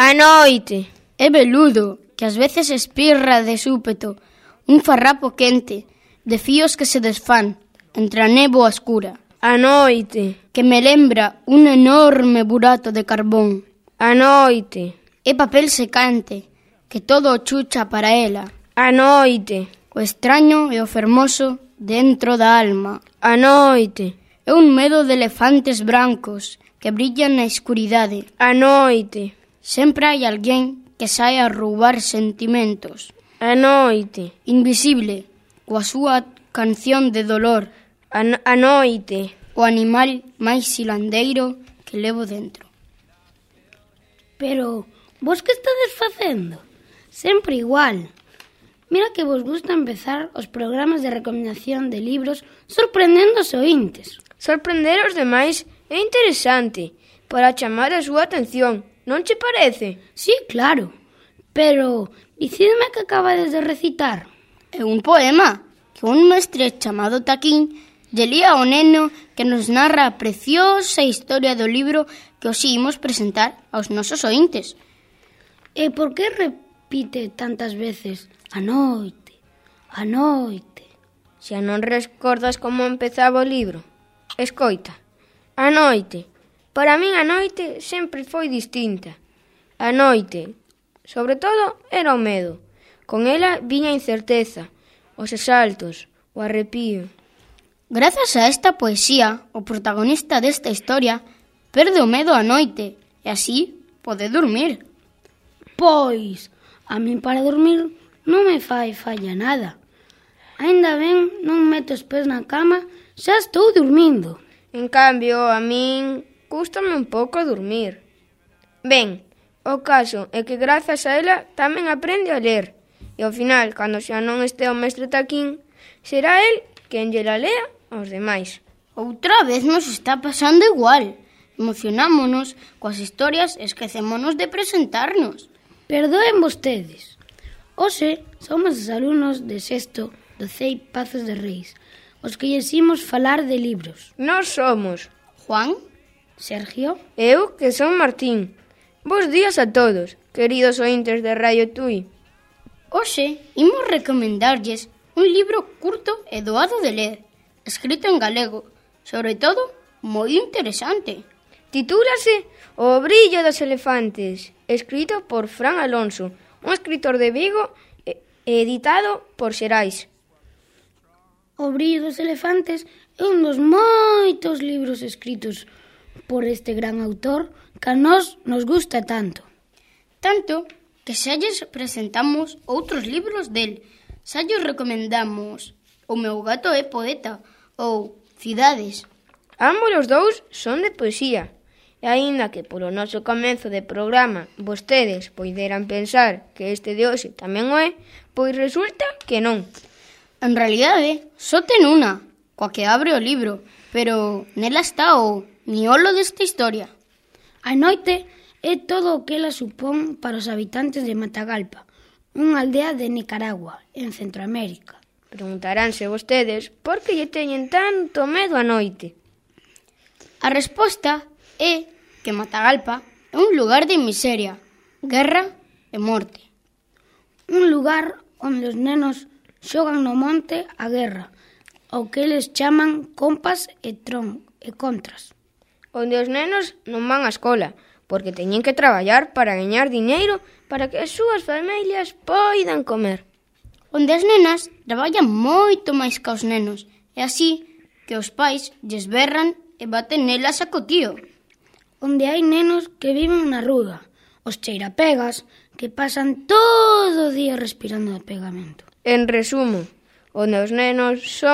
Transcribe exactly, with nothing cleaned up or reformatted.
A noite. É veludo, que ás veces espirra de súpeto, un farrapo quente, de fíos que se desfán, entre a néboa escura. A noite. Que me lembra un enorme burato de carbón. A noite. É papel secante, que todo o chucha para ela. A noite. O extraño e o fermoso dentro da alma. A noite. É un medo de elefantes brancos que brillan na escuridade. A noite. Sempre hai alguén que sae a roubar sentimentos. A noite. Invisible, coa súa canción de dolor. A, no- a noite. O animal máis silandeiro que levo dentro. Pero, vos que estades facendo? Sempre igual. Mira que vos gusta empezar os programas de recomendación de libros sorprendendo os ointes. Sorprender os demais é interesante para chamar a súa atención, non che parece? Sí, claro. Pero, dicidme que acabades de recitar. É un poema que un mestre chamado Taquín lle lía ao neno que nos narra a preciosa historia do libro que os imos presentar aos nosos ointes. E por que repite tantas veces a noite, a noite? Xa non recordas como empezaba o libro? Escoita. A noite. Para min a noite sempre foi distinta. A noite, sobre todo, era o medo. Con ela viña a incerteza, os exaltos, o arrepío. Grazas a esta poesía, o protagonista desta historia perde o medo á noite e así pode dormir. Pois, a min para dormir non me fai falla nada. Aínda ben non meto os pés na cama, xa estou dormindo. En cambio, a min cústame un pouco dormir. Ben, o caso é que grazas a ela tamén aprende a ler. E ao final, cando xa non este o mestre Taquín, será el quen lle la lea aos demais. Outra vez nos está pasando igual. Emocionámonos coas historias e esquecémonos de presentarnos. Perdoen vostedes. Hoxe somos os alumnos de sexto do C E I Pazos de Reis, os que lles imos falar de libros. Nós somos Juan, Sergio, eu, que son Martín. Bos días a todos, queridos ointes de Radio Tui. hoxe imos recomendarlles un libro curto e doado de ler, escrito en galego, sobre todo moi interesante. Titúlase O brillo dos elefantes, escrito por Fran Alonso, un escritor de Vigo e editado por Xerais. O brillo dos elefantes é un dos moitos libros escritos por este gran autor que a nós nos gusta tanto. Tanto que xa lles presentamos outros libros del. Xa lles recomendamos O meu gato é poeta ou Cidades. Ambos os dous son de poesía. E aínda que polo noso comezo de programa vostedes poideran pensar que este de hoxe tamén o é, pois resulta que non. En realidade, só ten unha, coa que abre o libro, pero nela está o miolo desta historia. A noite é todo o que ela supón para os habitantes de Matagalpa, unha aldea de Nicaragua, en Centroamérica. Preguntaránse vostedes por que lle teñen tanto medo á noite. A resposta é que Matagalpa é un lugar de miseria, guerra e morte. Un lugar onde os nenos xogan no monte a guerra, o que eles chaman compas e tron e contras. Onde os nenos non van á escola, porque teñen que traballar para gañar diñeiro para que as súas familias poidan comer. Onde as nenas traballan moito máis que os nenos, e así que os pais lles berran e baten nelas a cotío. Onde hai nenos que viven na rúa, os cheirapegas que pasan todo o día respirando de pegamento. En resumo, onde os nenos son